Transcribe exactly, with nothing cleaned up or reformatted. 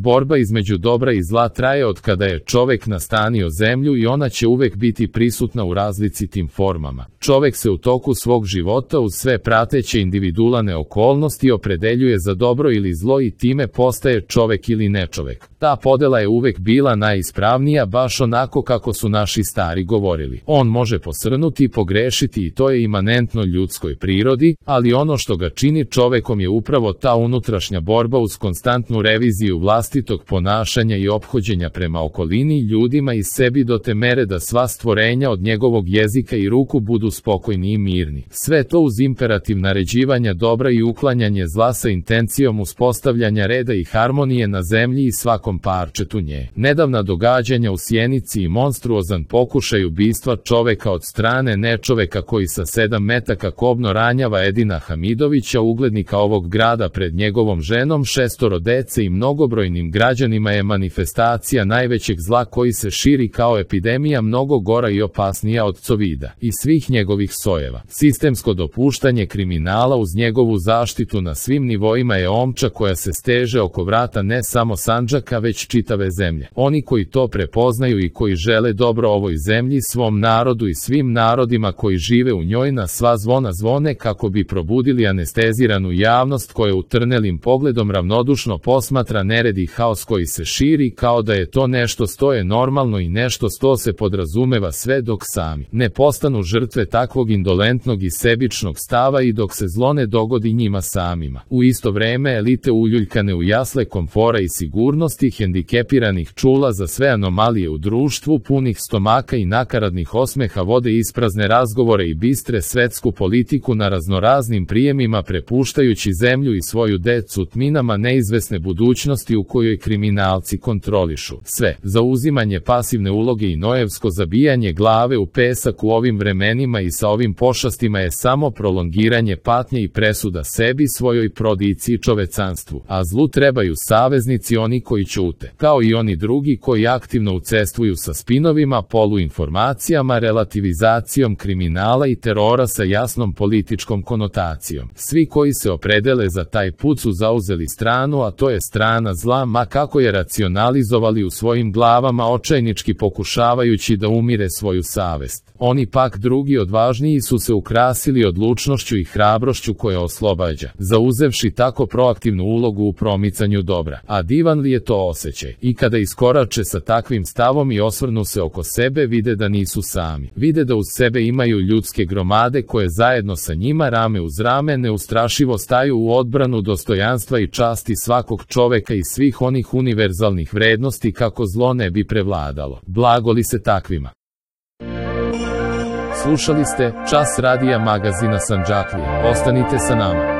Borba između dobra i zla traje od kada je čovek nastanio zemlju i ona će uvek biti prisutna u različitim formama. Čovek se u toku svog života uz sve prateće individualne okolnosti opredeljuje za dobro ili zlo i time postaje čovek ili nečovek. Ta podela je uvek bila najispravnija, baš onako kako su naši stari govorili. On može posrnuti i pogrešiti i to je imanentno ljudskoj prirodi, ali ono što ga čini čovekom je upravo ta unutrašnja borba uz konstantnu reviziju vlastitog ponašanja i ophođenja prema okolini, ljudima i sebi do te mere da sva stvorenja od njegovog jezika i ruku budu spokojni i mirni. Sve to uz imperativ naređivanja dobra i uklanjanje zla sa intencijom uspostavljanja reda i harmonije na zemlji i svakom parčetu nje. Nedavna događanja u Sjenici i monstruozan pokušaj ubistva čoveka od strane nečoveka koji sa sedam metaka kobno ranjava Edina Hamidovića, uglednika ovog grada, pred njegovom ženom, šestoro dece i mnogobrojnim građanima je manifestacija najvećeg zla koji se širi kao epidemija, mnogo gora i opasnija od covida i svih njegovih sojeva. Sistemsko dopuštanje kriminala uz njegovu zaštitu na svim nivoima je omča koja se steže oko vrata ne samo Sandžaka već čitave zemlje. Oni koji to prepoznaju i koji žele dobro ovoj zemlji, svom narodu i svim narodima koji žive u njoj, na sva zvona zvone kako bi probudili anesteziranu javnost koja utrnelim pogledom ravnodušno posmatra nered i haos koji se širi kao da je to nešto što je normalno i nešto što se podrazumeva, sve dok sami ne postanu žrtve takvog indolentnog i sebičnog stava i dok se zlo ne dogodi njima samima. U isto vreme elite uljuljkane u jasle komfora i sigurnosti, hendikepiranih čula za sve anomalije u društvu, punih stomaka i nakaradnih osmeha, vode isprazne razgovore i bistre svetsku politiku na raznoraznim prijemima, prepuštajući zemlju i svoju decu tminama neizvesne budućnosti u kojoj kriminalci kontrolišu sve. Zauzimanje pasivne uloge i nojevsko zabijanje glave u pesak u ovim vremenima i sa ovim pošastima je samo prolongiranje patnje i presuda sebi, svojoj prodici i čovecanstvu. A zlu trebaju saveznici, oni koji ćute, kao i oni drugi koji aktivno učestvuju sa spinovima, poluinformacijama, relativizacijom kriminala i terora sa jasnom političkom konotacijom. Svi koji se opredele za taj put su zauzeli stranu, a to je strana zla, ma kako je racionalizovali u svojim glavama, očajnički pokušavajući da umire svoju savest. Oni pak drugi odvažniji su se ukrasili odlučnošću i hrabrošću koja oslobađa, zauzevši tako proaktivnu ulogu u promicanju dobra. A divan li je to osjećaj? I kada iskorače sa takvim stavom i osvrnu se oko sebe, vide da nisu sami. Vide da uz sebe imaju ljudske gromade koje zajedno sa njima rame uz rame neustrašivo staju u odbranu dostojanstva i časti svakog čoveka i svih onih univerzalnih vrednosti kako zlo ne bi prevladalo. Blago li se takvima? Slušali ste Čas radija magazina Sandžaklija. Ostanite sa nama.